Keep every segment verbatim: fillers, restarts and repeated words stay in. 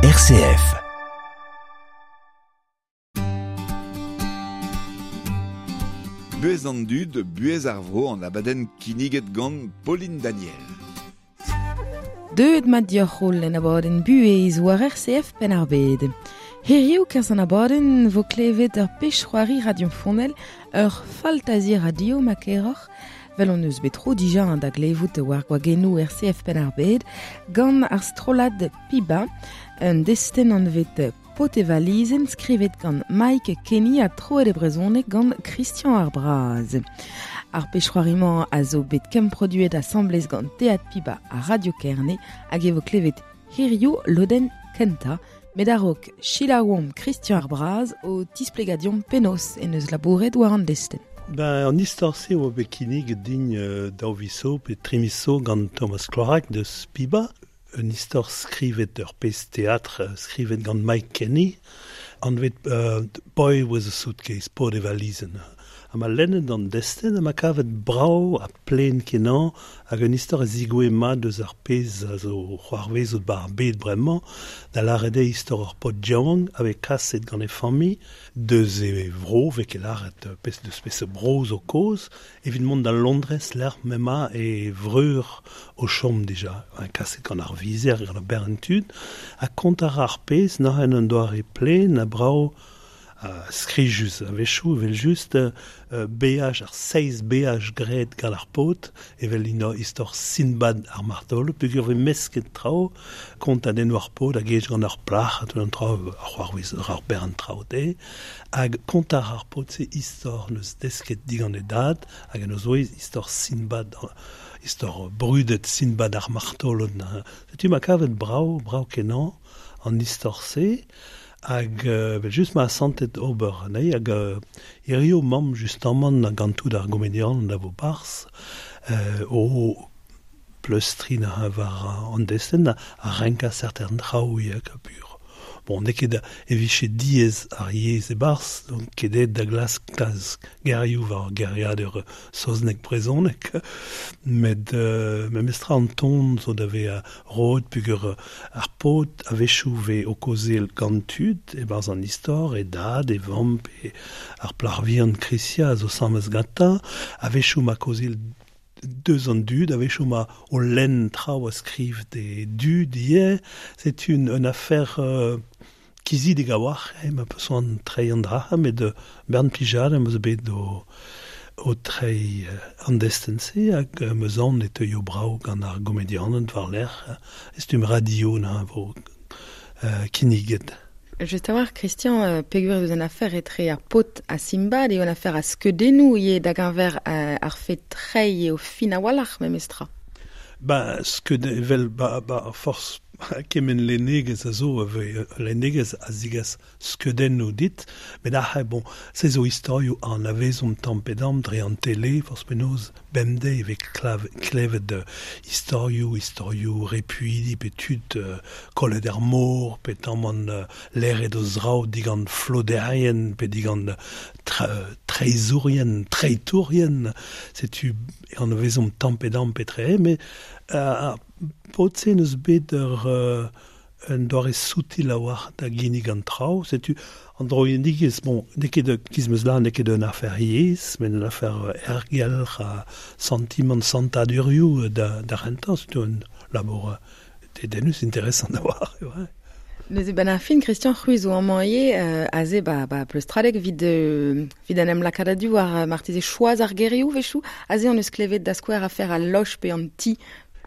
R C F. Buez an dud, buez ar vro an abadenn kinniget gant Pauline Daniel. Deuet mat dioc'h en abadenn buez war R C F penn ar bed. Hiriv kerzh an abadenn vo klevet ur pech c'hoari radiofonel, ur faltazi radio ma keroc'h, vel on eus bet tro dija an da glevout war gwagennoù R C F penn ar bed, gant ar strollad Piba, un destenn anvet Potevalizen skrivet gant Mike Kenny ha troet e brezhoneg gant Christian Ar Braz. Ar pech c'hoari-mañ a zo bet kemproduet asambles gant Teatr Piba ha Radio Kerne hag e vo klevet hiriv lodenn kentañ, met a-raok selaouomp Christian Ar Braz o tisplegadion penaos en eus labouret war an destenn. Ben, an istor-se oa bet kinnig din euh, daou viso pe trimiso gant Thomas Clorac deus Piba. Un istor skrivet ur pezh teatr skrivet gant Mike Kenny, anvet euh, Boy with a Suitcase, pod e valizenn. Ha ma lennet an destenn ha ma kavet brav ha plen kenañ hag un istor a zigoe mat deus ar pezh a zo c'hoarvezout bar bed bremañ, da lâret eo istor ur paotr yaouank a vez kaset gant e familh deus e vro, vez ket lâret pezh deus pezh bro zo kozh, evit mont da Londrez lec'h m'emañ e vreur o chom dija, kaset gant ar vizer, gant ar bern tud, ha kont ar ar pezh n'oc'h en un doare plen ha brav Uh, skrijus a-wechoù evel just uh, beaj ar seizh beaj graet gant ar paotr evel ino istor Sinbad ar martolo peogwir vez mesket traoù kont a den war paotr hag gej gant ar plac'h ha tout an traoù ar c'hoarvez ar bern traoù te hag kont ar ar paotr se istor neus desket digant e dad hag en o zoez istor Sinbad istor brudet Sinbad ar martolo setu ma kavet brav brav kenañ an istor-se hag euh, just ma santet ober anezhi hag euh, hirio mamm justamant gant tout ar gomedian da vo barz euh, o pleustrin a war an destenn a renka certain traoù hag a pur. Bon, n'eo ket e vije diaes ar yezh e barz, donc ket aet da glask kalz gerioù war geriadur saozneg brezhoneg, met euh, memestra an ton zo da vezañ roet peogwir ar paotr a-wechoù vez o kaozeal gant tud e-barzh an istor, e dad, e vamm, pe ar plac'h vihan Krysia a zo samez gantañ, a-wechoù ma kaozeal deus an dud, a-wechoù ma o lenn traoù a skriv de dud ivez, c'est une, une affaire euh, kizidik a-walc'h, eh, ma peus an treiñ an dra, met euh, bern plijad am eus bet o, o treiñ euh, an destenn-se hag euh, meus aon e teuio brav gant ar gomedianed war-lerc'h, estum radio na vo euh, kinniget. Just a-walc'h, Christian, euh, peogwir eus an afer etre ar paotr ha Sinbad eo an afer a skeudennoù ivez da geñver euh, ar fet treiñ eo fin a-walc'h memestra. Ba, skeud evel ba, ba forzh kement lennegezh a zo, ave lennegezh a zigas skeudennoù dit, met ac'h bon, se zo istorioù an avezomp tamm pe damm dre an tele, forzh penaos bemdez e vez klav, klevet uh, istorioù, istorioù repuidi pe tud uh, kollet er mor, pe tamm an uh, leret o zraoù digant floderien, pe digant tra, treizourien, treitourien, setu an avezomp tamm pe damm pe tre, met uh, paotr-se n'eus bet ur euh, un doare soutil a-walc'h da ginnig an traoù, setu an droiendigezh, bon, n'eo ket giz meus lâret, n'eo ket un afer yezh, met un afer ergelc'h ha santimant santadurioù da, da rentañ, setu un labour dedennus interesant a-walc'h, ouais. Neuze ben ar fin, Christian, c'hwi zo amañ ivez, euh, aze ba, ba pleustradeg vid, euh, vid an em lakaat a-du war marteze choaz ar gerioù wechoù, aze an eus klevet da skouer afer al loch pe an ti.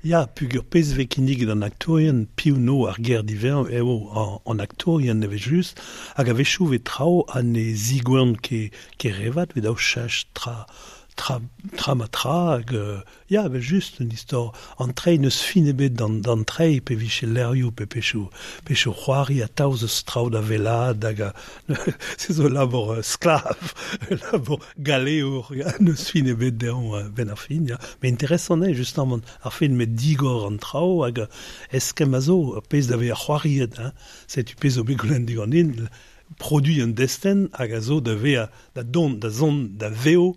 Ya, peogwir pezh vez kinniget an aktourien, piv no ar ger divern eo an, an aktourien eve just, hag a-wechoù vez traoù ha ne zigouern ket ket revat, vez daou chach tra, tra, tra ma tra, hag euh, ya, evel just un istor an treiñ n'eus fin ebet d'an, d'an treiñ pe vije lerioù pe pechoù, pechoù c'hoari atav eus traoù da wellaat hag a, se zo labour euh, sklav, labour galeour, ya, n'eus fin ebet dezhañ euh, benn ar fin, ya. Met interesant eo justement ar fin met digor an traoù hag eskemm a zo, ar pezh da vezañ c'hoariet, hein, setu pezh zo bet goulenn diganin, produit un destenn hag a zo da vezañ da dont, da zont, da vev,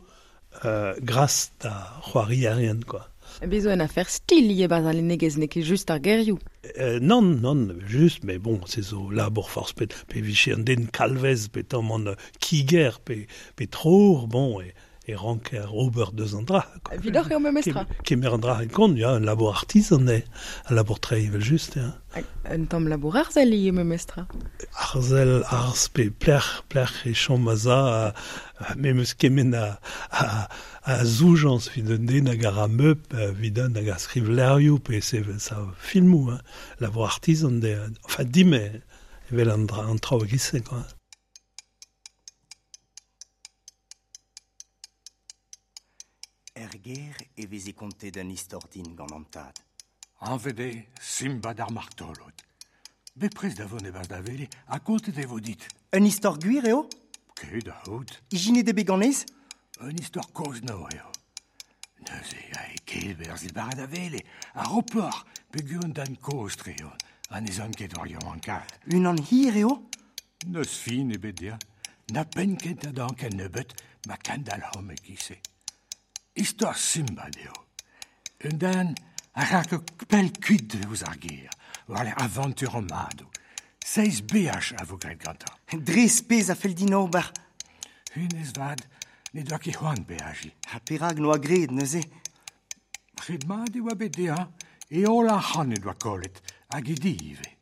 euh, gras da c'hoarierien, quoi. Bezo en afer stil ivez barzh al lennegezh, n'eo ket just ar gerioù. Euh, non, non, just, mais bon, se zo labour forzh pet, pe vije an den kalvez, pe tamm an kiger, pe, pe trour, bon, e, e ranker ober deus an dra. Evidoc'h eo memestra. Kemer an dra en kont, ya, un labour artisan eo, un labour tre evel just, ya. Un tamm labour arzel ivez memestra. Arzel, arz, pe plec'h, plec'h e chom a za, me meus kement a, a, a zoujañs evit un den hag a ra meup, evit un hag a skriv levrioù, pe se sa filmoù, hein. Labour artisan, de, enfin, dime, evel an, dra, an traoù e-giz-se, quoi. Er ger e veze kontet un istor din gant an tad. Anvet eo Simbad ar martolod. Bepred da vont e-barzh da wele ha kontet e vo dit. Un istor gwir eo? Ket da c'hoût. Ijinet eo bet ganez? Un istor kozh-nor eo. Neuze a e kelberzh e-barzh da wele, ar ropoc'h peogwir un den kozh-tre eo, ha ne zan ket war yaouankaat. Unan hir eo? N'eus fin ebet dezhañ. Na penn kentañ d'an ken nebeut ma kendalc'homp e-giz-se. Istor Simbad eo. Un den a ra ket pell kuit eus ar gêr, war lec'h avantur an madoù. Seizh beaj a vo graet gantañ. Dres pezh a fell din ober. Hennezh 'vat ne doa ket c'hoant beajiñ. Ha perak n'oa graet neuze? Ret mat e oa bet dezhañ, e holl arc'hant en doa kollet, hag e di ivez.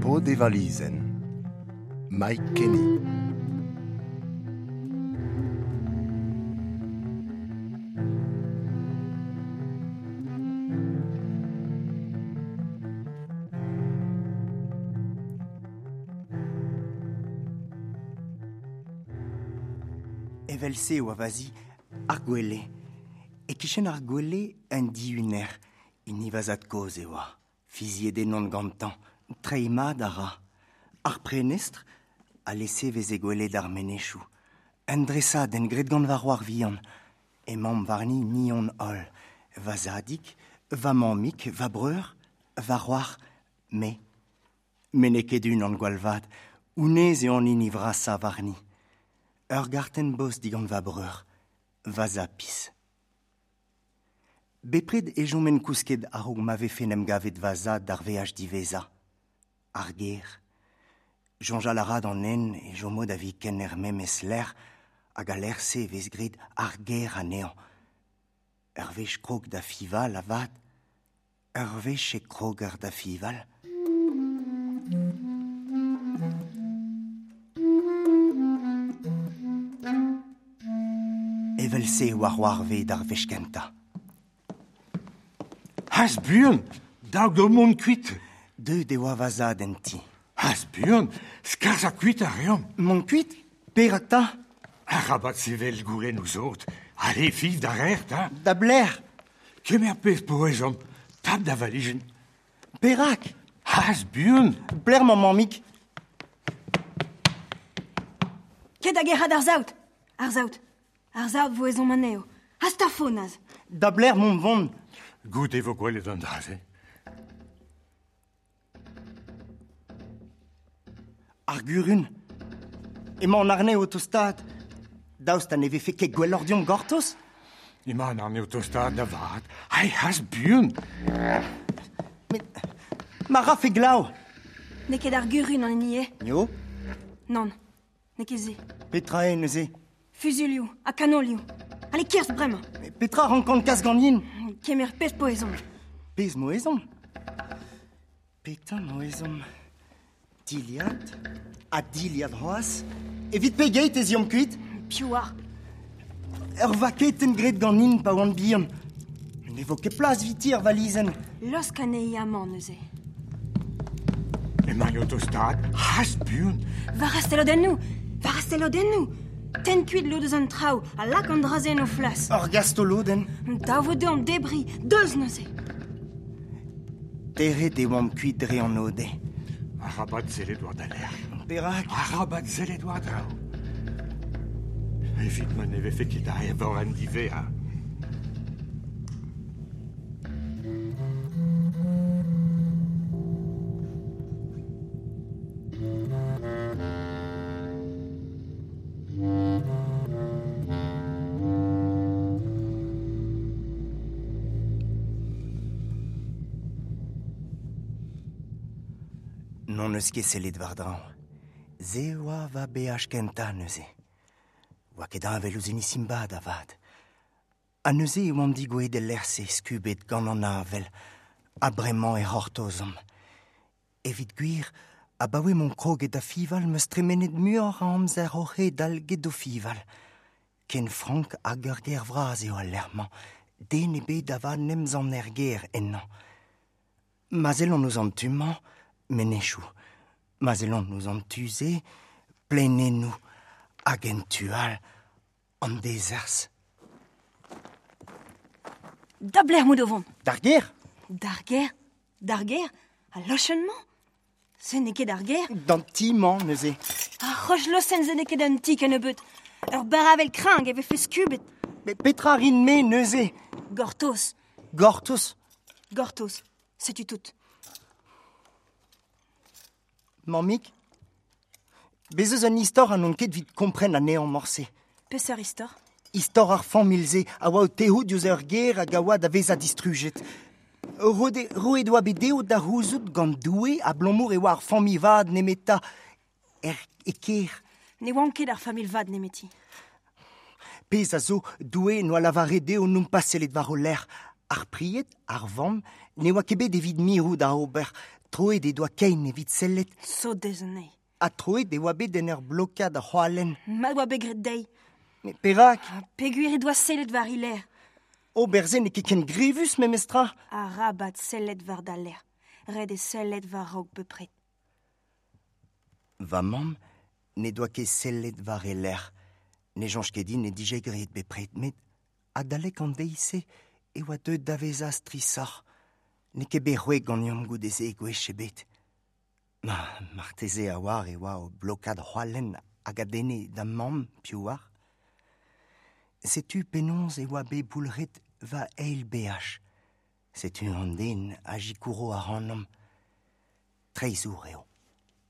Paotr e valizenn, Mike Kenny. Evel-se oa va zi ar gwele. E-kichen ar gwele un dihuner, hini va zad-kozh e oa. Fiziet ennon gantañ, treiñ mat a ra. Ar prenestr a lese veze gwelet ar menezioù. Un dresadenn graet gant va c'hoar vihan. Emaomp warni ni hon holl. Va zadig, va mammig, va breur, va c'hoar, me. Me n'eo ket unan gwall vat, honnezh eo an hini vrasañ warni. Ur gartenn bost digant va breur, va zapis. Bepred e chomen kousket a-raok ma vefe en em gavet va zad d'ar veaj diwezhañ. Ar gêr. Soñjal a ra d'an hent e chomo da viken er memes lec'h hag al lec'h-se e vez graet ar gêr anezhañ. Ur wech krog da fiñval avat, ur wech e kroger da fiñval. Evel-se e oa c'hoarvezet ar wech kentañ. Hast buan, dav deomp mont kuit. Deuet e oa va zad en ti. Hast buan, skarzhañ kuit a reomp. Mont kuit? Perak 'ta? Arabat sevel goulenn ouzhot. Allez, fiñv da rec'h, 'ta. Da belec'h? Kemer pezh po ezhomm. Tap da valizenn. Perak? Hast buan. Pelec'h emañ mammig? Ket da gerc'hat ar saout. Ar saout. Ar saout vo ezhomm anezho. Hast afo, neuze. Da belec'h mont vont? Goude vo gwelet an dra-se. Ar gurun. Emañ an arnev o tostaat. Daoust ha ne vefe ket gwelloc'h deomp gortoz? Emañ an arnev o tostaat da vat. Ai, hast buan. Met ma rafe glav. N'eo ket ar gurun an hini eo? Eo? Nann, n'eo ket se. Petra eo neuze? Fuzuilhoù ha kanolioù. Allez, kerzh bremañ. Met petra rankan kas ganin? Kemer pezh po ezhomm. Pezh mo ezhomm? Petra mo ezhomm? Dilhad ha dilhad c'hoazh. Evit pegeit ez eomp kuit? Piv oar? Ur vaketenn graet ganin pa oan bihan. Ne vo ket plas eviti er valizenn. Laosk anezhi amañ neuze. Emañ o tostaat, hast buan. War ar stelodennoù, war ar stelodennoù. Tenn kuit lod eus an traoù ha lak an dra-se en o flas. Ur gastolodenn. Dav vo deomp debriñ, deus neuze. Teret e oamp kuit dre an ode. Arabat sellet war da lec'h. Perak? Arabat sellet war draoù. Evit ma ne vefe ket a evor an divea. Non eus ket sellet war draoñ. Se oa va beaj kentañ neuze. Oa ket heñvel ouzh hini Simbad avat. Ha neuze e oamp digouezhet el lec'h-se skubet gant an avel, ha bremañ e c'hortozomp. Evit gwir, abaoe m'on kroget da fival 'm eus tremenet muioc'h a amzer oc'h hedal get o fival. Ken frank hag ur gêr vras eo al lec'h-mañ, den ebet avat n'em zan er gêr ennañ. Ma sellont ouzh an tu-mañ, menezioù. Ma sellont ouzh an tu-se, plaenennoù, hag en tu all, an dezerzh. Da belec'h emaout o vont? D'ar gêr. D'ar gêr? D'ar gêr? Al lochenn-mañ? Se n'eo ket ar gêr? D'an ti-mañ neuze. Ar roch-losenn se n'eo ket un ti kennebeut. Ur barr-avel kreñv e vefe skubet. Met petra rin-me neuze? Gortoz. Gortoz? Gortoz. Setu tout. Mammig, bez eus un istor ha n'on ket evit kompren anezhañ morse. Peseurt istor? Istor ar familh-se a oa o tec'hout diouzh ur gêr hag a oa da vezañ distrujet. Roet roet oa bet dezho da c'houzout gant Doue abalamour e oa ar familh vat nemetañ er e kêr. Ne oant ket ar familh vat nemeti. Pezh a zo, Doue n'oa lavaret dezho nompas sellet war o lerc'h. Ar pried, ar vamm, ne oa ket bet evit mirout da ober. Troet e doa kein evit sellet. Sodez anezhi. Ha troet e oa bet en ur blokad ar c'hoalenn. Mat oa bet graet dezhi. Met perak? Ha peogwir he doa sellet war he lerc'h. Ober se n'eo ket ken grevus memestra. Arabat sellet war da lerc'h. Ret eo sellet war-raok bepred. Va mamm ne doa ket sellet war he lerc'h. Ne soñj ket din ne dije graet bepred, met adalek an deiz-se e oa deuet da vezañ strisoc'h. N'eo ket bet c'hwek ganeomp goude-se gwech ebet. Ma, marteze a oar e oa o blokad c'hoalenn hag a denne da mamm, piv oar. Setu penaos e oa bet boulc'het va eil beaj. Setu an den a sikouro ac'hanomp. Treizhour eo.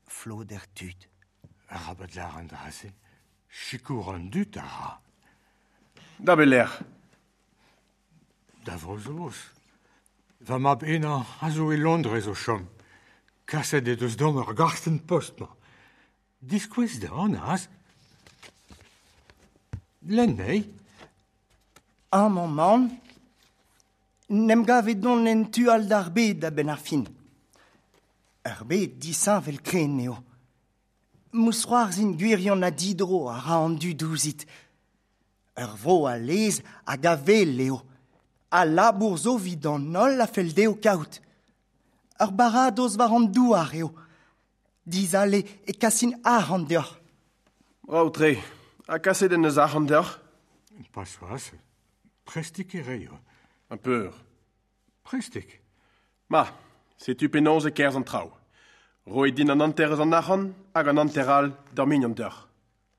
Floder tud. Arabat lâr an dra-se. Sikour an dud a ra. Da belec'h? Da Vro-Saoz. Va mab henañ a zo e Londrez o chom. Kaset e deus deomp ur gartenn post-mañ. Diskouez dezhañ, az. Lenn anezhi. Amañ 'maon. N'em gavet don en tu all d'ar bed a-benn ar fin. Ur bed disheñvel kren eo. Mousc'hoarzhin gwirion ha didro a ra an dud ouzhit. Ur vro a lez hag a wel eo. A labour zo evit an holl a fell dezho kaout. Ur baradoz war an douar eo. Dizale e kasin arc'hant deoc'h. Brav-tre. Ha kaset en deus arc'hant deoc'h? Pas c'hoazh. Prestik e reio. Un peur. Prestik. Ma, setu penaos e kerzh an traoù. Roit din an hanter eus an arc'hant hag an hanter all d'ur mignon deoc'h.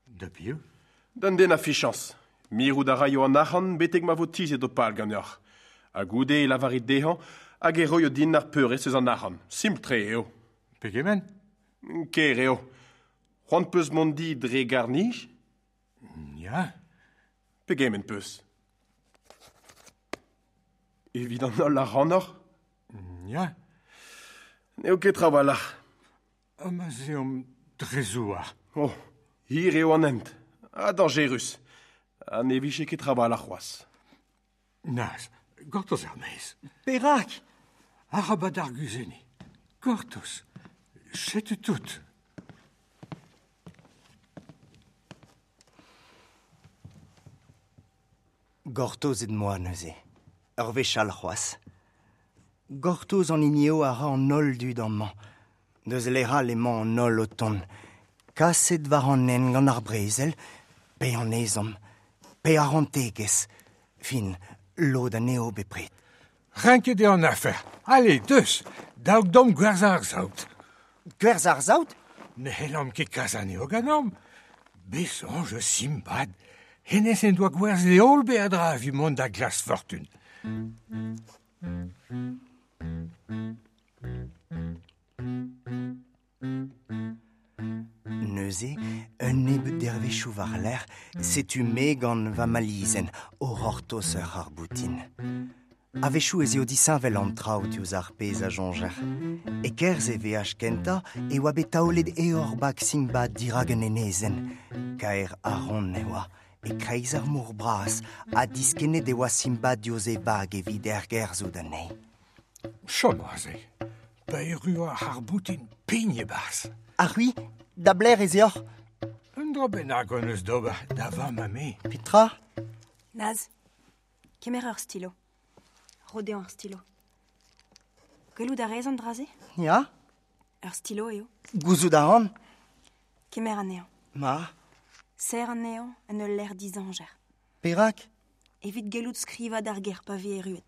Da piv? D'un den a fichañs. Mirout a raio an arc'hant betek ma vo tizhet ho pal ganeoc'h. Ha goude e lavarit dezhañ hag e roio din ar peurrest eus an arc'hant. Simpl-tre eo. Pegement? Ker eo. C'hoant peus mont di dre garr-nij? Ya. Pegement peus? Evit an holl ac'hanoc'h? Ya. N'eo ket trawalc'h. Ha ma 'z eomp dre zouar. Oh, hir eo an hent. Ha dañjerus. Ha ne vije ket trawalc'h c'hoazh. Naz, gortoz er-maez. Perak? Arabat arguzenniñ. Gortoz. Setu tout. Gortozet 'moa neuze. Ur wech all c'hoazh. Gortoz an hini eo a ra an holl dud amañ. Deus lec'h all emañ an holl o tont. Kaset war an hent gant ar brezel, pe an ezhomm, pe ar c'hoantegezh. Fin, lod anezho bepred. Renket eo an afer. Allez, deus. Daouk dom gwerz ar zaout. Gwerz ar zaout? Ne c'hellomp ket kas anezho ganeomp. Bet soñj eus Simbad. Hennezh en doa gwerzhet e holl beadra evit mont da glask fortun. Neuze, un nebeud dervezhioù war-lerc'h, setu me gant va malizenn, o c'hortoz ur c'harr-boutin. A-wechoù ez eo disheñvel an traoù diouzh ar pezh a soñjer. E-kerzh e veaj kentañ e oa bet taolet eor bag Simbad dirak un enezenn. Kaer a-ront e oa, e-kreiz ar mor bras, ha diskennet e oa Simbad diouzh e vag evit ergerzhout anezhi. Chom aze, pa erru ar c'harr-boutin pign e-barzh. Ha c'hwi, da blec'h ez eoc'h? Un dra bennak hon eus d'ober, da vamm ha me. Petra? Naz, kemer ur stilo. Ro dezhañ ur stilo. Gwelout a rez an dra-se? Ya. Ur stilo eo. Gouzout a ran. Kemer anezhañ. Ma. Serr anezhañ en ul lec'h dizañjer. Perak? Evit gellout skrivañ d'ar gêr pa vez erruet.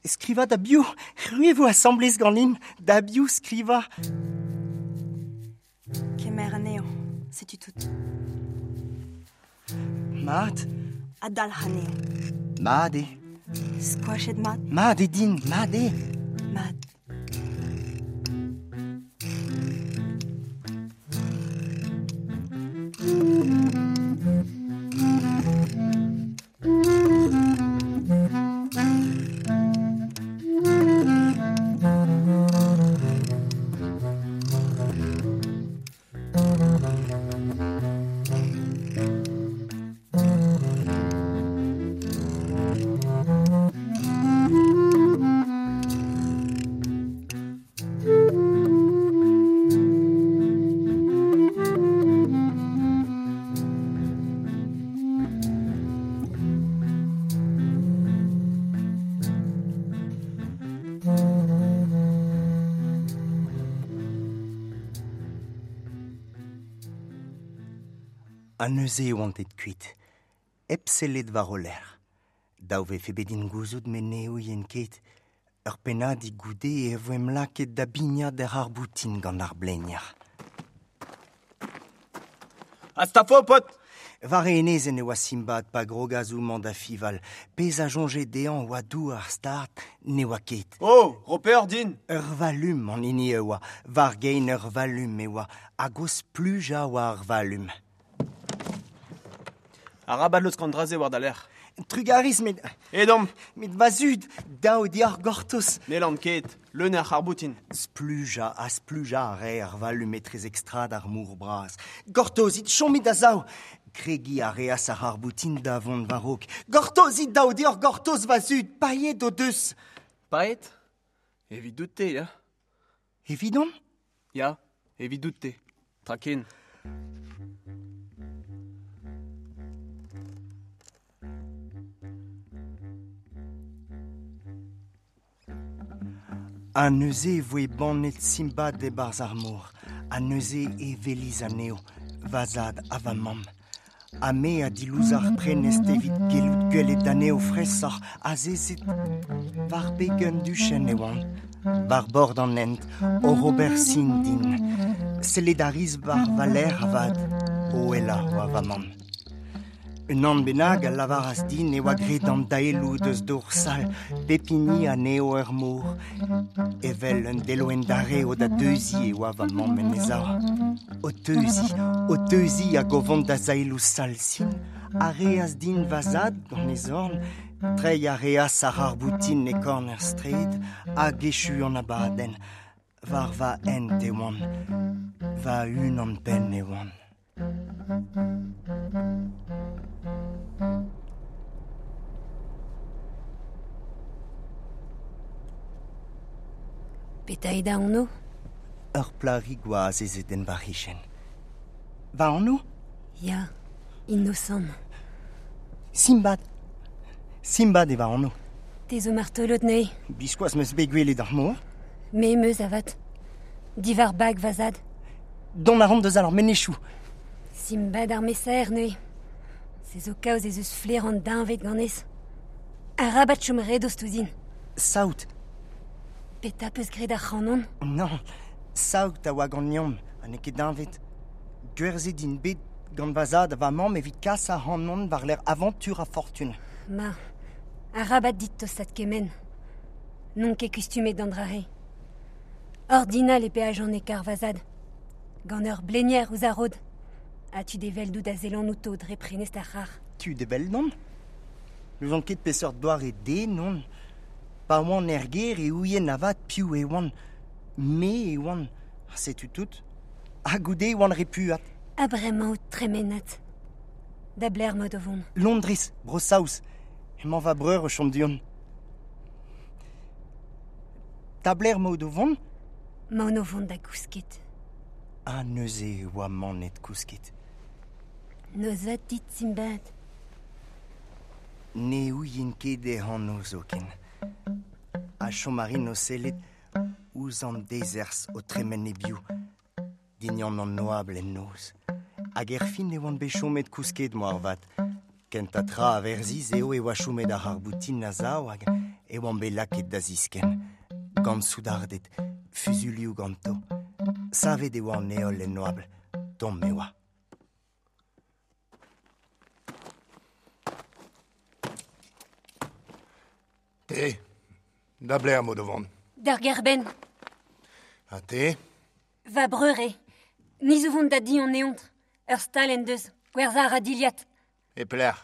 Skrivañ da biv? C'hwi vo asambles ganin. Da biv skrivañ? Kemer anezhañ, setu tout. Mat. Ha dalc'h anezhañ. Mat eo. Skoachet mat. Mat eo din, mat eo. Mat. Ha neuze e oant aet kuit, hep sellet war o lerc'h. Dav vefe bet din gouzout met ne ouien ket. Ur pennadig goude e voemp lakaet da bignat er c'harr-boutin gant ar blenier. Astafo, paotr! War e enezenn e oa Simbad pa grogas homañ da fival. Pezh a soñje dezhañ oa douar start, ne oa ket. Oh, ro peoc'h din! Ur valum an hini e oa, war gein ur valum e oa, hag o splujañ oa ar valum. Arabat laosk an dra-se war da lerc'h. Trugarez, met... Edomp! Met va zud, dav deoc'h gortoz. N'hellan ket, leun eo ar c'harr-boutin. Splujañ ha splujañ a rae ar valum etrezek strad ar mor bras. Gortozit, chomit a-sav. Kregiñ a reas ar c'harr-boutin da vont war-raok. Gortozit, dav deoc'h gortoz, va zud, paeet o deus. Paeet? Evidout-te, ya. Evidon? Ya, evidout-te. Tra ken. Ha neuze e voe bannet Simbad e-barzh ar mor. Ha neuze e welis anezho, va zad ha va mamm. Ha me a dilouz ar prenestr evit gellout gwelet anezho fraeshoc'h azezet war beg un duchenn e oant, war bord an hent, oc'h ober sin din. Sellet a ris war va lerc'h avat, o ouelañ oa va mamm. Un an bennak a lavaras din e oa graet an daeloù deus dor sal, pep hini anezho ur mor. Evel un deloenn darev da deuziñ e oa va mamm en he sav. O teuziñ, o teuziñ hag o vont da zaeloù sal sin, a reas din va zad gant e zorn, treiñ a reas ar c'harr-boutin e korn ar straed hag echu an abadenn. War va hent e oan, va unan-penn e oan. Petra eo da anv? Ur plac'hig oa azezet en va c'hichen. Va anv? Ya, Innocent. Simbad. Simbad eo va anv. Te zo martolod neuze? Biskoazh 'm eus bet gwelet ar mor. Me 'm eus avat. Diwar bag va zad. Dont a ran deus ar menezioù. Simbad ar mesaer neuze. Se zo kaoz ez eus flaer an deñved ganez. Arabat chom re dost ouzhin. Saout. Peta peus graet ar c'hanon? Non, saout a oa gant liamm, ha n'eo ket deñved. Gwerzhet int bet gant va zad ha va mamm evit kas ar c'hanon war lec'h aventure a fortune. Ma, arabat dit tostat kement. N'on ket kustumet d'an dra-se. Ordinal e peaj an ekar va zad. Gant ur blenier ouzh ar rod. Ha tud evel dout a zelan outo dre prenest ar c'har. Tud evel non? N'ouzon ket peseurt doare den on. Pa oan er gêr e ouien avat piv e oan. Me e oan. Ha setu tout. Ha goude e oan repuat. Ha bremañ out tremenat. Da bler mod o vont. Londrez, Bro-Saoz. Emañ va breur o chom du-hont. Da bler mod o vont? Maon o vont da gousket. Ha neuze e oa manet kousket. Nozvat dit, Simbad. Ne ouien ket e anv zoken. Ha chom a rin o sellet ouzh an dezerzh o tremen e-biou. Dignan an oabl en noz. Hag erfin e oan bet chomet kousket moarvat. Kentañ tra a verziz eo e oa chomet ar c'harr-boutin a-sav hag e oan bet lakaet da ziskenn. Gant soudarded, fuzulioù ganto. Savet e oa an heol en oabl, tomm e oa. Te, da bler mod o vont. D'ar gerbenn. Ha te? Va breur eo. Ni zo vont da di an eontr. Ur stal en deus, gwerzhañ a ra dilhad. E pelec'h?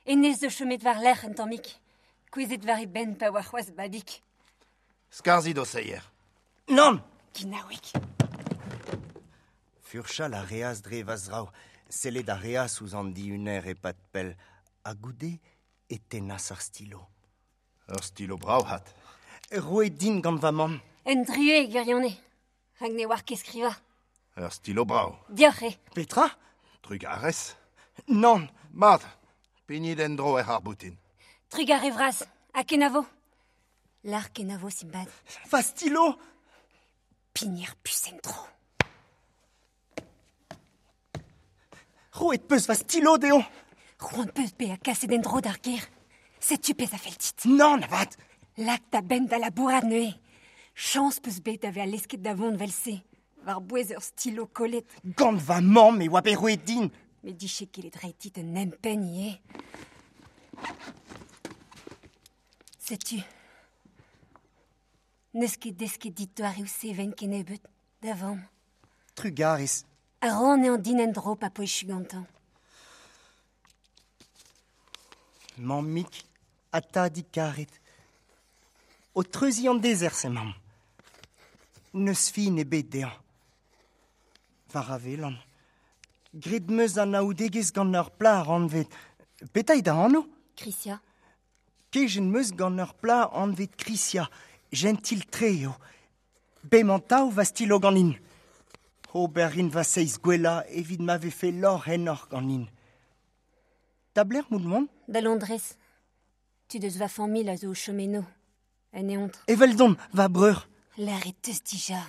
Hennezh zo chomet war-lerc'h un tammig. Kouezhet war e benn pa oa c'hoazh babig. Skarzhit ho seier. Nann! Ginaoueg. Furchal a reas dre va zraoù. Sellet a reas ouzh an dihuner e-pad pell. Ha goude e tennas ar stilo. Ur stilo brav hat. Roet din gant va mamm. Un druez e gwirionez. Rak ne oar ket skrivañ. Ur stilo brav. Dioc'h eo. Petra? Trugarez. Nann. Mat, pignit en-dro er c'harr-boutin. Trugarez vras, ha kenavo. Lar kenavo, Simbad. Va stilo! Pigner pus en-dro. Roet peus va stilo dezhañ. C'hoant peus bezañ kaset en-dro d'ar gêr. Setu pezh a fell dit. Nann avat! Lak da benn da labourat neuze. Chañs peus bet da vezañ lesket da vont evel-se. War-bouez ur stilo kollet. Gant va mamm e oa bet roet din. Met dije ket reiñ dit un empenn ivez. Setu. N'eus ket desket dit doareoù seven kennebeut, da vamm. Trugarez. A ran eo din en-dro pa po echu gantañ. Mammig ha tadig karet. O treuziñ an dezerzh emañ. N'eus fin ebet dezhañ. War a welan. Graet 'm eus anaoudegezh gant ur plac'h anvet. Petra eo da anv? Krisia. Kejet 'm eus gant ur plac'h anvet Krisia. Gentil-tre eo. Bemañ tav va stilo ganin. Ober rin va seizh gwellañ evit ma vefe lorc'h ennoc'h ganin. Da blec'h mout mont? Da Londrez. Tud eus va familh a zo o chom eno. En eontr. Eveldon, va breur. Lâret teus dija.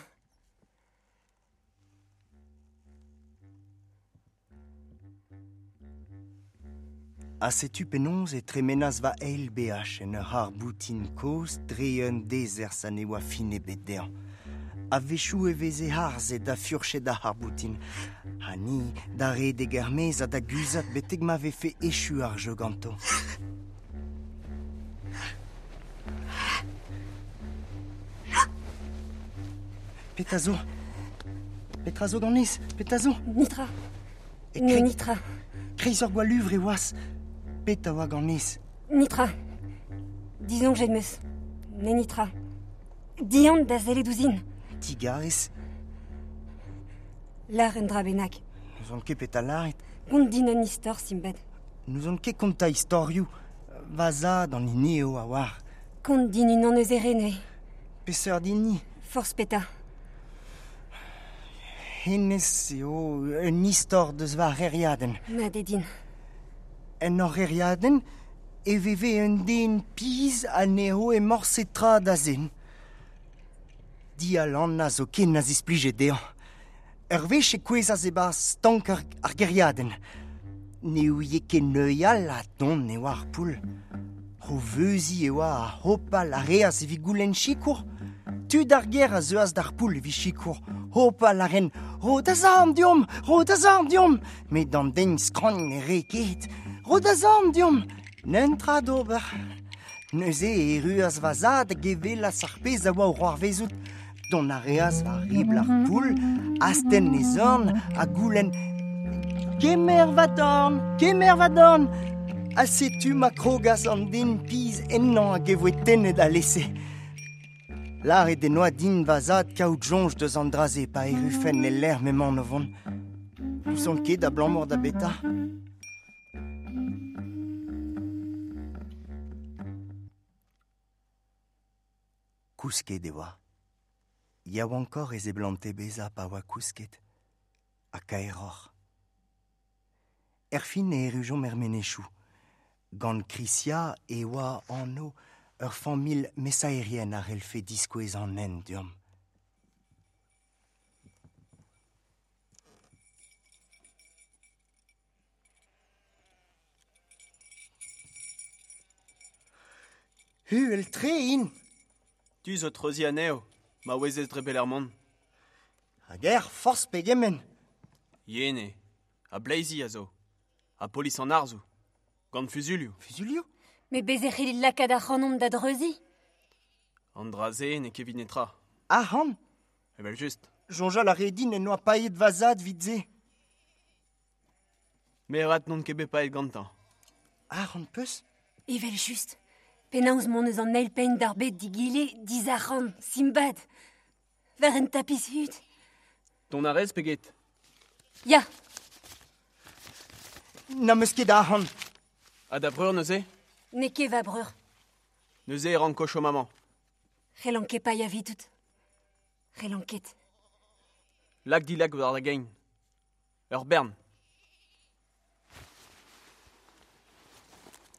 Ha setu penaos e tremenas va eil B H en ur c'harr-boutin kozh dre un dezerzh ha ne oa fin ebet dezhañ. A-wechoù e veze harzet da furchet ar c'harr-boutin. Ha ni da redek er-maez ha da guzhat betek ma vefe echu ar jeu ganto. Petra zo? Petra zo ganez? Petra zo? Nitra. E Ne kre- nitra. Kreiz ur gwalluvre e oas. Petra oa ganez? Nitra. Disoñjet 'm eus. Ne nitra. Dihan da sellet ouzhin. Digarez. Lar un dra bennak. N'ouzon ket petra lâret. Kont din un istor, Simbad. N'ouzon ket kontañ istorioù. Va zad an hini eo a oar. Kont din unan eus e re neuze. Peseurt hini? Forzh petra. Hennezh eo un istor deus va c'hêriadenn. Mat eo din. En hor c'hêriadenn e veve un den pizh ha ne roe morse tra da zen. Dialan a zo ken a zisplije dezhañ. Ur wech e kouezhas e-barzh stank ar, ar gêriadenn. Ne ouie ket neuial ha don e oa ar poull. O veuzi e oa a hopal a reas evit goulenn sikour. Tud ar ger a zeuas d'ar poull evit sikour. Hopal a ren, ro da zorn deomp, ro da zorn deomp. Met an den skragn ne re ket. Ro da zorn deomp, netra d'ober. Neuze e erruas va zad hag e welas ar pezh a oa o c'hoarvezout. Dont a reas war ribl ar poull, astenn e zorn ha goulenn Kemer va dorn, kemer va dorn. Ha setu ma krogas an den piz ennañ hag e voe tennet alese. Lâret en oa din va zad kaout soñj deus an dra-se pa errufen e lec'h m'emaon o vont. N'ouzon ket abalamour da beta. Kousket e oa. Yaouankoc'h e seblante bezañ pa oa kousket. Ha kaeroc'h. Erfin e errujomp er menezioù. Gant Krisia e oa anv ur familh mesaerien a c'hellfe diskouez an hent deomp. Uhel-tre int. Tu zo treuziñ anezho, ma ouezez dre belec'h mont. Hag er forzh pegement. Yen eo, ha bleizi a zo, ha polis an arzoù, gant fuzulioù. Fuzulioù ? Met bez e c'hellit lakaat ac'hanomp da dreuziñ ? An dra-se n'eo ket evit netra. Arc'hant ? Evel-just. Soñjal a re din en doa paeet va zad evit se. Me avat n'on ket bet paeet gantañ. Arc'hant peus ? Evel-just. Penaos mont eus an eil penn d'ar bed d'egile dizarc'hant, Simbad. War un tapis hud. Dont a rez pe get ? Ya. N'am eus ket arc'hant. Ha da vreur neuze ? N'eo ket va breur. Neuze e ranko chom amañ. C'hellan ket paeañ evidout. C'hellan ket. Lak dilak war da gein. Ur bern.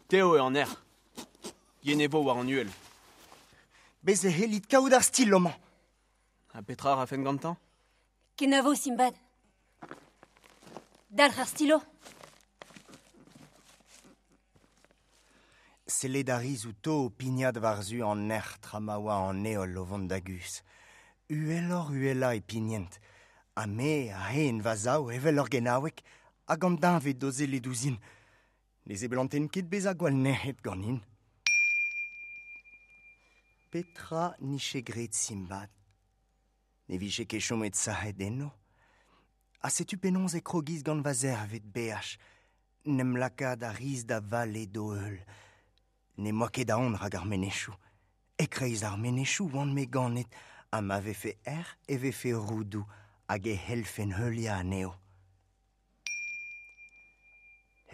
Teo eo an erc'h. Yen e vo war an uhel. Bez e c'hellit kaout ar stil amañ. Ha petra a rafen gantañ ? Kenavo, Simbad. Dalc'h ar stilo. Sellet a ris outo o pignat war-zu an erc'h tra ma oa an heol o vont da guzh. Uheloc'h uhelañ e pignent. Ha me a hen va sav evel ur genaoueg hag an deñved o sellet ouzhin. Ne seblantent ket bezañ gwall nec'het ganin. Petra nije graet Simbad ? Ne vije ket chomet sac'het eno. Ha setu penaos e krogiz gant va zervet beaj. N'em lakaat a ris da vale d'o heul. Ne moa ket aon rak ar menezioù. E-kreiz ar menezioù oan me ganet, ha ma vefe erc'h e vefe roudoù hag e c'hellfen heuliañ anezho.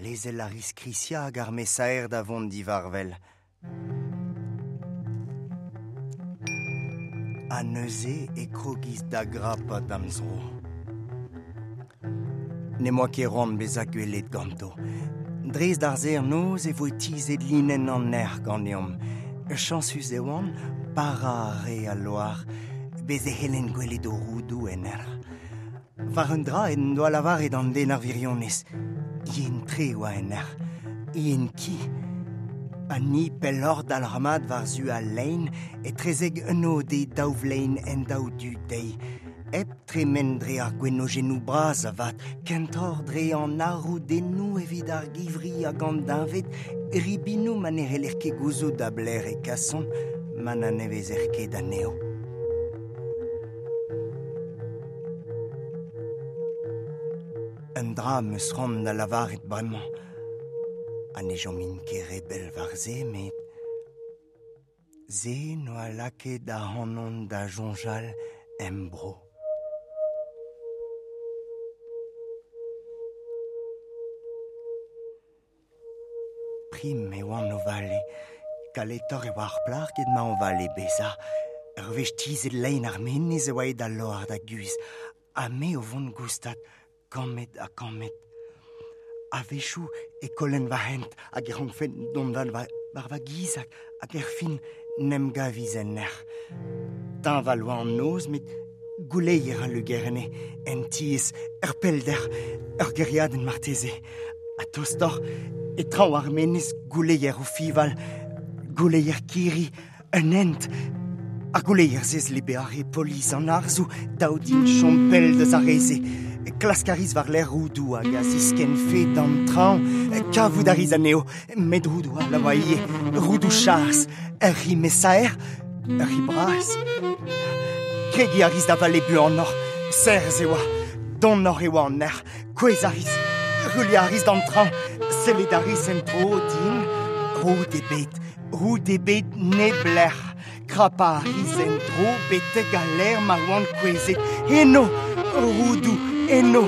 Lezel a ris Krisia hag ar mesaer da vont divarvel. Ha neuze e krogiz da grapat da'm zro. Ne moa ket c'hoant bezañ gwelet ganto. Dres d'ar serr-noz e voe tizhet linenn an erc'h ganeomp. Chañsus e oan, para a re al loar, bez e c'hellen gwelet o roudoù en erc'h. War un dra en doa lavaret an den ar wirionez. Yen-tre oa en erc'h, yen-ki. Ha ni pelloc'h dalc'hmat war-zu al lein etrezek un ode daou vlein en daou du dezhi. Hep tremen dre ar gwenojennoù bras avat, kentoc'h dre an arroudennoù evit ar givri hag an deñved, ribinoù ma ne c'heller ket gouzout da belec'h e kasont, ma n'anavezer ket anezho. Un dra am eus c'hoant da lavaret bremañ. Ha ne chomin ket re bell war se, met se n'oa lakaet ac'hanon da soñjal em bro. Prim e oan o vale. Kaletoc'h e oa ar plac'h get ma o vale bezañ. Ur wech tizhet lein ar menez e oa aet al loar da guzh. Ha me o vont goustad, kammed ha kammed. A-wechoù e kollen va hent hag e rankfen dont war va, war va giz hag, hag erfin n'em gaviz en erc'h. Teñval oa an noz, met gouleier a lugerne, en tiez, ur pellder, ur gêriadenn marteze. Ha tostoc'h, e traoñ ar menez gouleier o fival, Gouleier kiri, un hent. Ar gouleier zez le beare polis an arzou, daoudin chompel deus ar reze. Klask a riz war l'air roudou hag a zisken fe d'an traoñ, kavout a riz anezho, met roudou a la oa ivez, roudou chars, ur ri mesaer, ur ri bras. Kregiñ a riz da vale buanoc'h, serzh e oa, donoc'h e oa an erc'h, kouezh a riz, ruilhañ a riz d'an traoñ, sellet a riz en-dro din, roud ebet, roud ebet neblec'h, krapañ a riz en-dro betek al lec'h ma oan kouezhet, eno, roudoù, eno,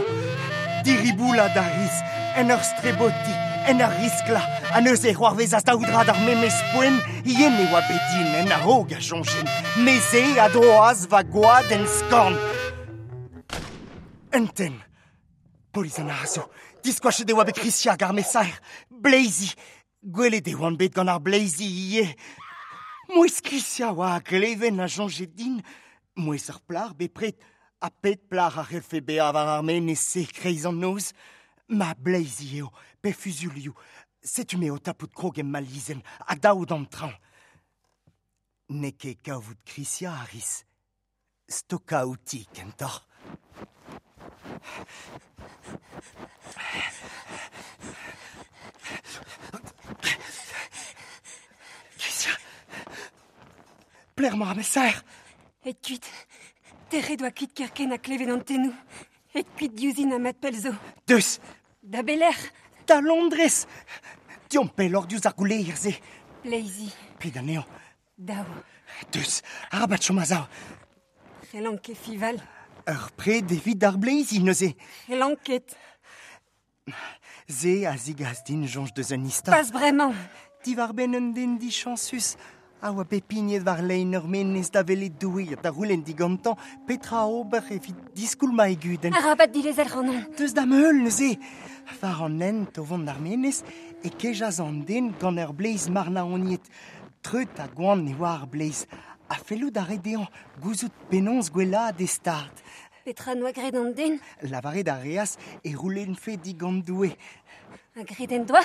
diriboulat a riz, en ur strebotiñ, en ur risklañ, ha neuze c'hoarvezas daou dra d'ar memes poent, yen e oa bet din en a-raok a soñjen, me se a droas va gwad en skorn. Un tenn, polis an arzoù, diskoachet e oa bet Krisia hag ar mesaer, bleizi, gwelet e oan bet gant ar bleizi ivez. Mouezh Krisia oa a gleven a soñje din, mouezh ar plac'h bepred, ha pet plac'h a c'hellfe bezañ war ar menez-se kreiz an noz. Ma bleizi eo, pe fuzulioù, setu me o tapout krog em malizenn, ha daou d'an traoñ. N'eo ket kavout Krisia a ris. Stokañ outi kentoc'h. Krisia, plec'h emañ ar mesaer? Et kuit. Tec'het oa kuit kerkent ha klevet an tennoù. Et kuit diouzhin ha mat pell zo. Deus. Da belec'h? Da Londrez. Deomp pelloc'h diouzh ar gouleier-se. Bleizi. Ped anezho? Daou. Deus, arabat chom a-sav. C'hellan ket fival. Ur pred evit ar bleizi neuze. C'hellan ket. Se a zigas din soñj deus un istor. Pas bremañ. Diwar-benn un den dichañsus a oa bet pignet war lein ur menez da welet Doue da c'houlenn digantañ petra ober evit diskoulmañ e gudenn. Arabat dilezel ac'hanon. Deus da'm heul neuze. War an hent o vont d'ar menez e kejas an den gant ur bleiz marnaoniet. Treut ha gwan e oa ar bleiz. Ha fellout a rae dezhañ gouzout penaos gwellaat e stad. Petra noa graet an den? Lavaret a reas e c'houlennfe digant Doue. Ha graet en doa?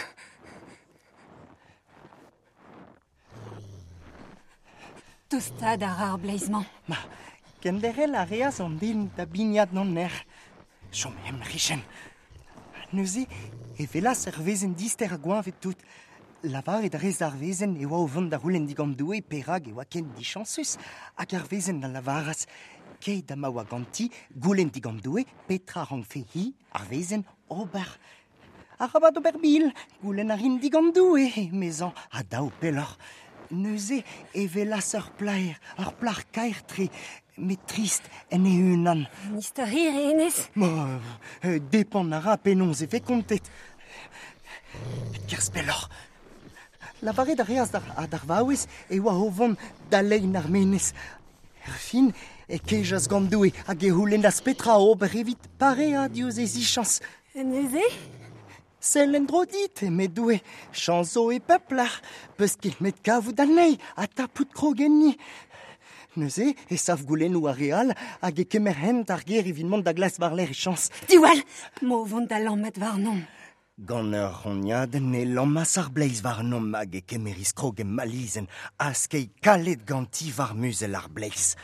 Tostaat a ra ar bleiz-mañ. Ma, kenderc'hel a reas an den da bignat d'an erc'h. Chom em richen. Neuze e welas ur wezenn dister ha gweñvet tout. Lavaret a rez d'ar wezenn e oa o vont da c'houlenn digant Doue perak e oa ken dichañsus, hag ar wezenn a lavaras keit ha ma oa ganti goulenn digant Doue petra rankfe hi, ar wezenn, ober. Arabat ober bil, goulenn a rin digant Doue, emezañ, ha daou pelloc'h. Neuze e welas ur plaer, ur plac'h kaer-tre, met trist en e-unan. Un istor hir eo hennezh? Ma, euh, depend a ra penaos e vez kontet. Kerzh pelloc'h. Lavaret a reas d'ar, d'ar vaouez e oa o vont da lein ar menez. Erfin e kejas gant Doue hag e c'houlennas petra ober evit pareañ diouzh e zichañs. Neuze? Sell en-dro dit, eme Doue, chañs zo e pep lec'h, peus ket met kavout anezhi ha tapout krog enni. Neuze e sav goulennoù ar re all hag e kemer hent ar gêr evit mont da glask war-lerc'h e chañs. Diwall, mo vont da lammat warnomp. Gant ur c'hognadenn e lammas ar bleiz warnomp hag e kemeris krog em malizenn ha skeiñ kalet ganti war muzell ar bleiz.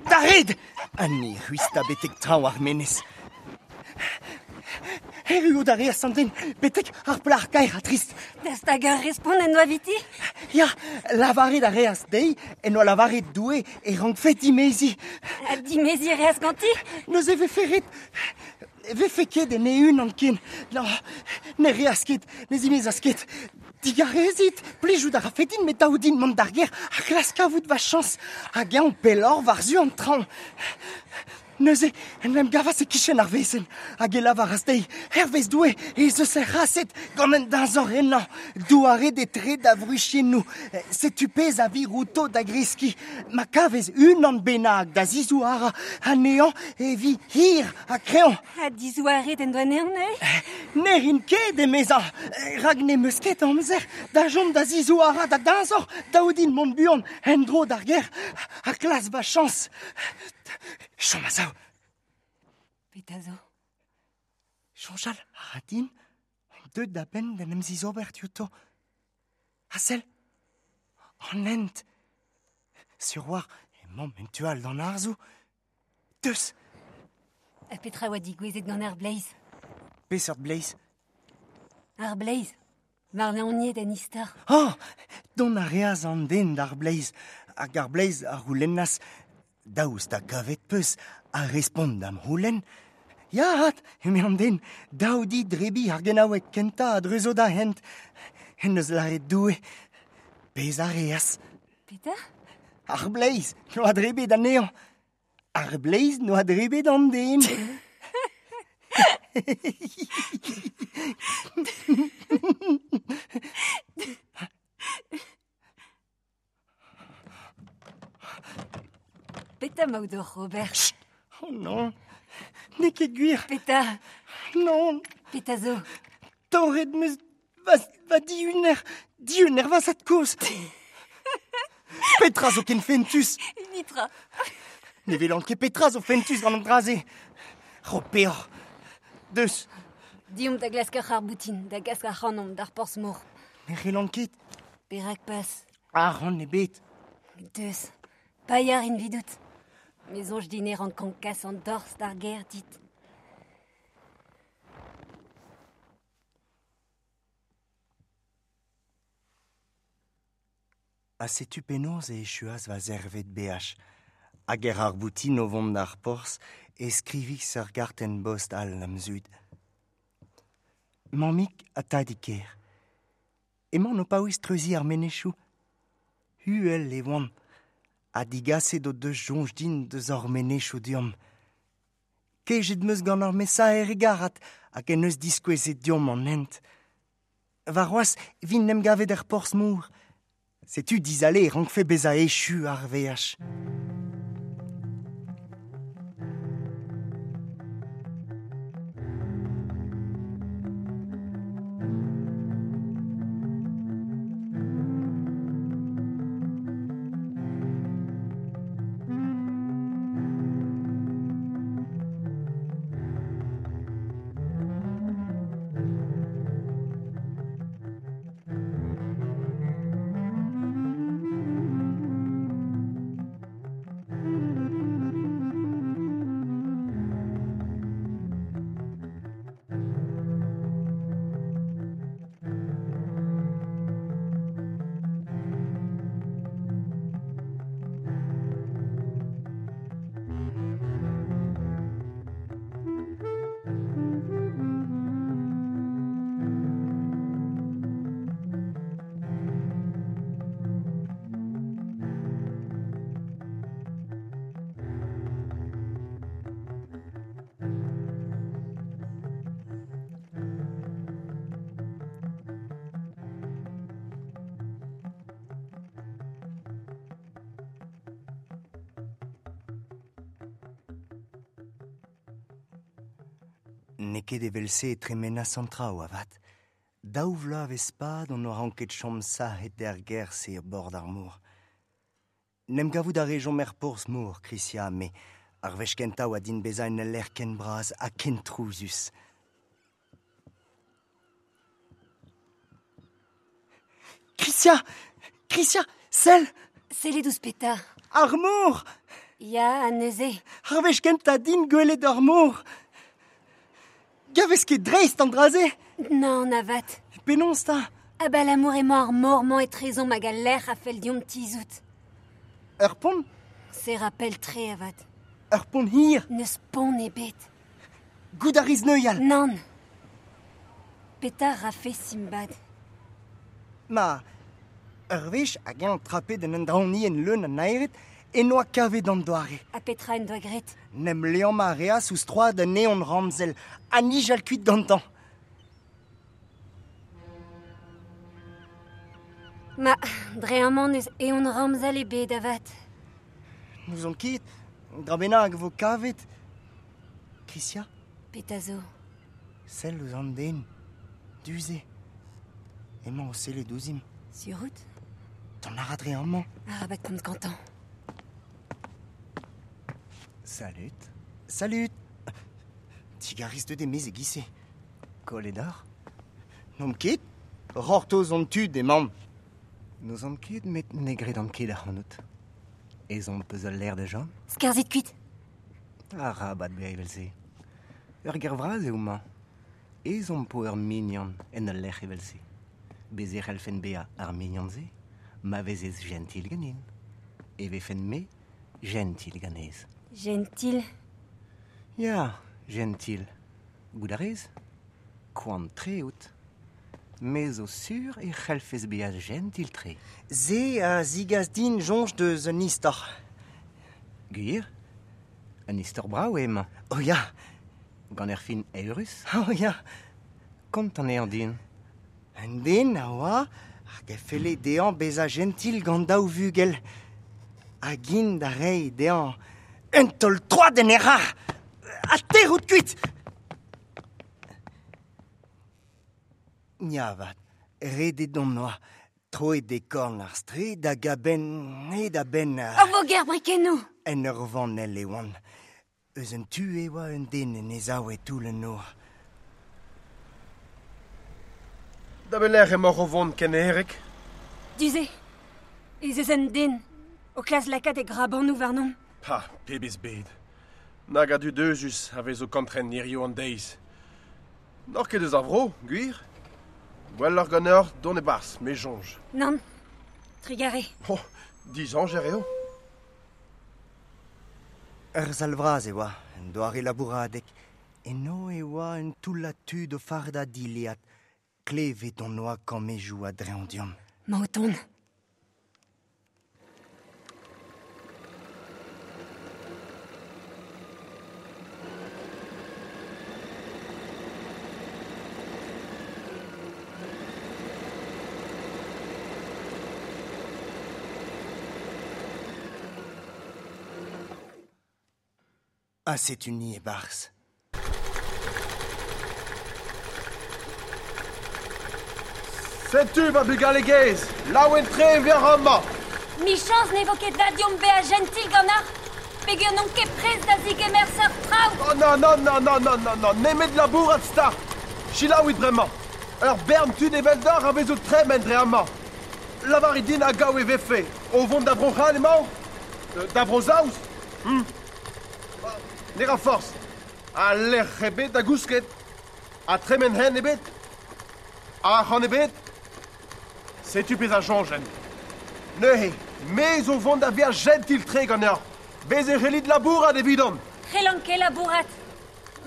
Da red! Ha ni c'hwistañ betek traoñ ar menez. Erruout a reas an den betek ar plac'h kaer ha trist. Daoust hag ur respont en doa eviti? Ya, lavaret a reas dezhi en doa lavaret Doue e rankfe dimeziñ. Ha dimeziñ a reas ganti? Neuze e vefe ret... vefe ket en e-unan ken. No, ne reas ket, ne zimezas ket. Digarezit, plijout a rafe din met dav din mont d'ar gêr ha klask kavout va chañs. Hag eñ pelloc'h war-zu an traoñ. Neuze, en em gavas e-kichen ar wezenn, hag e lavaras dezhi, hervez Doue, ez eus er c'haset gant un deñzor ennañ, douaret etre da vruchennoù, setu pezh a vir outo da greskiñ. Ma kavez unan bennak da zizouarañ anezhañ e vi hir ha kreñv. Ha dizouaret en doa anezhañ neuze? Ne rin ket, emezañ, rak n'em eus ket amzer da chom da zizouarañ da deñzor, dav din mont buan en-dro d'ar gêr ha klask va chañs. Chom a-sav. Petra zo? Soñjal a ra din, on deuet da benn d'en em zizober diouto. Ha sell, an hent. Sur war, emañ en tu all d'an arzoù. Deus. Ha petra oa digouezet gant ar bleiz? Peseurt bleiz? Ar bleiz. Marnaoniet en istor. Oh, dont a reas an den d'ar bleiz. Hag ar bleiz a c'houlennas daoust ha kavet peus a respont d'am c'houlenn. Ya, hat, eme an den, daou di drebi ar genaoueg kentañ a dreuzo da hent. En eus lâret Doue, pezh a reas. Petra? Ar bleiz n'oa drebet anezhañ. Ar bleiz n'oa drebet an den. Petra 'maout oc'h ober? Chut. Oh non, n'eo ket gwir. Petra? Non. Petra zo? Torret 'm eus va, va dihuner, dihuner va zad-kozh. Petra zo ken fentus? Nitra. Ne welan ket petra zo fentus gant an dra-se. Ro peoc'h. Deus. Deomp da glask ur c'harr-boutin, da gas ac'hanomp d'ar porzh-mor. Ne c'hellan ket. Perak pas? Arc'hant ebet. Deus. Paeañ a rin 'vidout. Me soñj din e rankan kas an dorzh d'ar gêr dit. Ha setu penaos e echuas va zervet beaj. Hag er ar boutin o vont d'ar porzh e skrivis ur gartenn bost all d'am zud. Mammig ha tadig ker. Emaon o paouez treuziñ ar menezioù. Uhel e oant. Ha digaset o deus soñj din deus hor menezioù deomp. Kejet 'm eus gant ar mesaer hegarat hag en deus diskouezet deomp an hent. Warc'hoazh 'vin 'n em gavet er porzh-mor. Setu dizale e rankfe bezañ echu ar veaj. N'eo ket evel-se e tremenas an traoù avat. Daou vloavezh pad on oa ranket chom sac'het er gêr-se er bord ar mor. N'em gavout a rejomp er porzh-mor, Krysia, me ar wech kentañ oa din bezañ en ul lec'h ken bras ha ken trouzus. Krysia! Krysia! Sell! Sellet ouzh petra? Ar mor! Ya, ha neuze. Ar wech kentañ din gwelet ar mor! Gavez ket dreist an dra-se? Nann avat. Penaos 'ta? Abalamour emañ ar mor-mañ etrezomp hag al lec'h a fell deomp tizhout. Ur pont? Se ra pell-tre avat. Ur pont hir? N'eus pont ebet. Goût a rez neuial? Nann. Petra 'rafe Simbad? Ma, ur wech hag eñ trapet en un draoñienn leun a naered en oa kavet an doare. Ha petra en doa graet? N'em liammañ a reas ouzh troad un evn ramzel ha nijal kuit gantañ. Ma, dre amañ n'eus evn ramzel ebet avat. N'ouzon ket, dra bennak vo kavet. Krysia? Petra zo? Sell ouzh an den. Du-se. Emañ o sellet ouzhimp. Sur out? Dont a ra dre amañ. Arabat komz gantañ. Salut. Salut. Digarez deut e-maez e-giz-se. Kollet oc'h? N'omp ket. Rortoz hon tud emaomp. N'eus an ket met ne gredan ket ac'hanout. Ez on peus al l'air da jom? Skarzhit kuit. Arabat bezañ evel-se. Ur ger vras eo mañ. Ez on po ur mignon en ul lec'h evel-se. Bez e c'hellfen bezañ ar mignon-se, ma vezez gentil ganin. E vefen me gentil ganez. Gentil. Ya, gentil. Gout a rez? Koant tre out. Me zo sur e c'hellfez bezañ gentil tre. Se a zigas din soñj deus un istor. Gwir? Un istor brav eo emañ. Oh ya, Gant ur fin eürus? oh ya. Kont anezhañ din. Un den a oa hag a felle dezhañ bezañ gentil gant daou vugel. Hag int da reiñ dezhañ un taol troad en e c'har. Ha tec'hout kuit. Ya avat, redet on oa, troet e korn ar straed hag a-benn, hed a-benn Ur voger brikennoù. En ur vanell e oan. Eus un tu e oa un den en e sav e toull an nor. Da belec'h emaoc'h o vont ken herrek? Du-se, ez eus un den o klask lakaat e grabanoù warnon. Pa, pebezh bed. Nag a dud euzhus a vez o kantren hiziv an deiz. N'oc'h ket eus ar vro, gwir? Gwelloc'h ganeoc'h dont e-barzh, me soñj. Nann, trugarez. Oh, dizañjer eo. Ur sal vras e oa, un doare labouradeg. Eno e oa un toullad tud o fardañ dilhad. Klevet on oa kammedoù a-dreñv deomp. Emañ o tont. Ha setu ni e-barzh. Setu va bugale gaezh, laouen tre e vez amañ. Michañs ne vo ket da deomp bezañ gentil ganeoc'h, peogwir n'on ket prest da zegemer seurt traoù. Oh non, non, non, non, non, non, non, nemet labourat start. Selaouit bremañ. Ur bern tud eveldoc'h a vez o tremen dre amañ. Lavarit din hag gaou e vefe. O vont da Bro-C'hall emañ? Euh, Da Bro-Saoz? Hmm. Ne ra forzh. Ha lec'h ebet da gousket. Ha tremen hent ebet. Arc'hant ebet. Setu pezh a soñjen. Neuze, me zo vont da vezañ gentil-tre ganeoc'h. Bez e c'hellit labourat evidon. C'hellan ket labourat.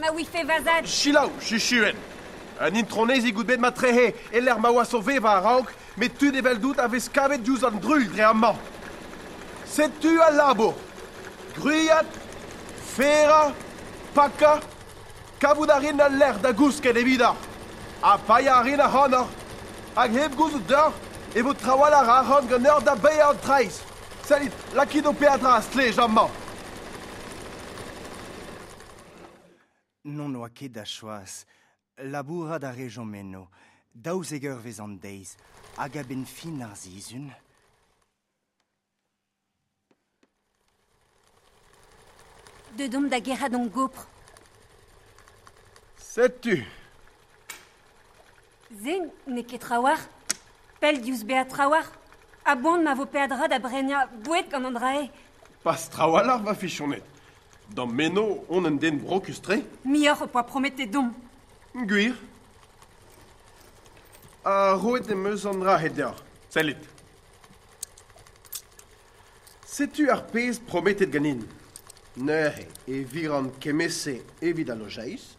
Ma ouife va zad. Selaou, chuchuen. Un intronezig out bet ma trehe, e-lec'h ma oas o vevañ a-raok, met tud eveldout a vez kavet diouzh an druilh dre amañ. Setu al labour. Gwriat, ferañ, pakañ, kavout a rin al lec'h da gousket evidoc'h. Ha paeañ a rin ac'hanoc'h. Hag hep gouzout deoc'h e vo trawalc'h arc'hant ganeoc'h da baeañ an traezh. Sellit, lakit ho peadra a-stlej amañ. N'on oa ket da choaz. Labourat a rejomp eno, daouzek eurvezh an deiz, hag a-benn fin ar sizhun. Deut omp da gerc'hat hon gopr. Setu. Se n'eo ket trawalc'h. Pell diouzh bezañ trawalc'h. A-boan ma vo peadra da brenañ boued gant an dra-se. Pas trawalc'h va fichoned. D'am meno on un den brokus-tre. Muioc'h ho poa prometet deomp. Gwir. Ha roet em eus an dra-se deoc'h. Sellit. Setu ar pezh prometet ganin. Neuze e viran kement-se evit al lojeiz,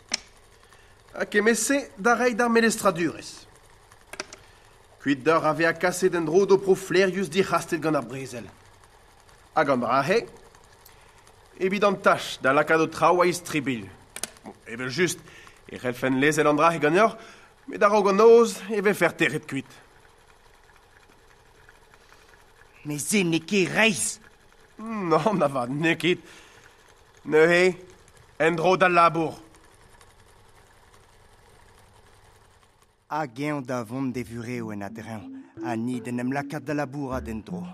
ha kement-se da reiñ d'ar melestradurezh. Kuit deoc'h a vezañ kaset en-dro d'ho pro flaerius dic'hastet gant ar brezel. Hag an dra-se, evit an tach da lakaat ho traoù a-istribilh. Bon, evel-just, e c'hellfen lezel an dra-se ganeoc'h, met a-raok an noz e vefer tec'het kuit. Met se n'eo ket reizh. Nann avat, n'eo ket. Neuze, en-dro d'al labour. Hag eñ da vont d'e vurev en a-dreñv, ha ni d'en em lakaat da labourat en-dro.